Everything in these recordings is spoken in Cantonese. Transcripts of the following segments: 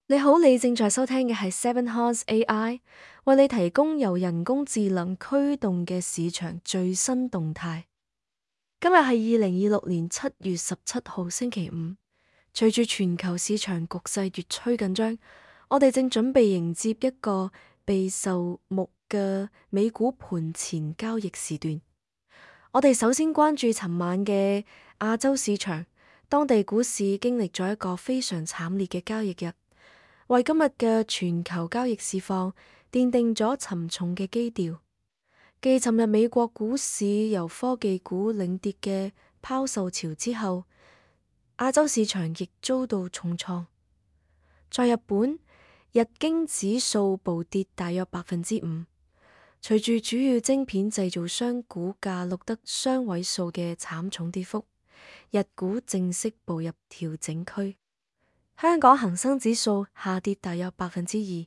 你好，你正在收聽嘅係 Seven Horse AI，為你提供由人工智能驅動嘅市場最新動態。今日係2026年7月17號星期五。隨住全球市場局勢越趨緊張，我哋正準備迎接一個備受目嘅美股盤前交易時段。我哋首先關注尋晚嘅亞洲市場，當地股市經歷咗一個非常慘烈嘅交易日，為今日嘅全球交易市況奠定咗沉重嘅基調。繼尋日美國股市由科技股領跌嘅拋售潮之後，亞洲市場亦遭到重創。在日本，日經指數暴跌大約5%，隨住主要晶片製造商股價錄得雙位數嘅慘重跌幅，日股正式步入調整區。香港恒生指數下跌大約2%，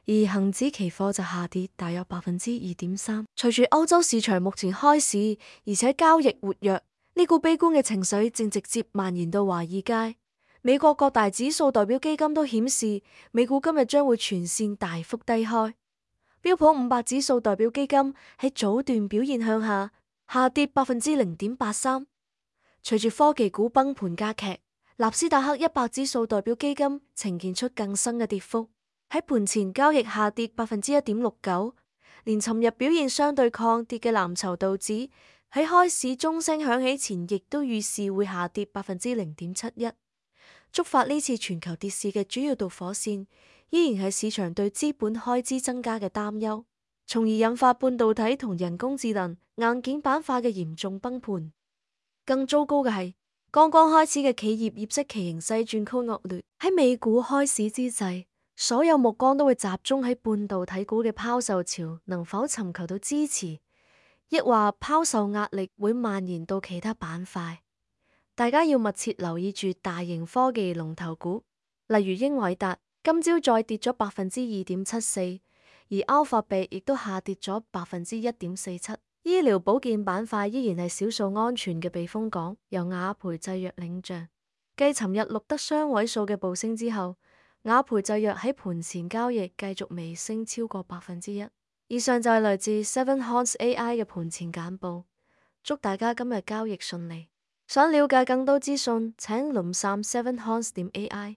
而恒指期貨就下跌大約2.3%。隨住歐洲市場目前開市，而且交易活躍，呢股悲觀嘅情緒正直接蔓延到華爾街。美國各大指數代表基金都顯示，美股今日將會全線大幅低開。標普500指數代表基金喺早段表現向下，下跌0.83%。隨住科技股崩盤加劇，納斯達克100指數代表基金呈現出更深嘅跌幅，喺盤前交易下跌1.69%，連尋日表現相對抗跌嘅藍籌道指喺開市鐘聲響起前，亦都預示會下跌0.71%。觸發呢次全球跌市嘅主要導火線，依然係市場對資本開支增加嘅擔憂，從而引發半導體同人工智能硬件板塊嘅嚴重崩盤。更糟糕嘅係，剛剛開始嘅企業業績期形勢轉趨惡劣。喺美股開市之際，所有目光都會集中喺半導體股嘅拋售潮能否尋求到支持，抑或拋售壓力會蔓延到其他板塊。大家要密切留意住大型科技龍頭股，例如英偉達，今朝再跌咗2.74%，而 Alphabet 亦都下跌咗1.47%。醫療保健板塊依然係少數安全嘅避風港，由雅培製藥領漲。繼尋日錄得雙位數嘅暴升之後，雅培製藥喺盤前交易繼續微升超過1%。以上就係來自 Seven Horse AI 嘅盤前簡報，祝大家今日交易順利。想了解更多資訊，請瀏覽 7horse.ai。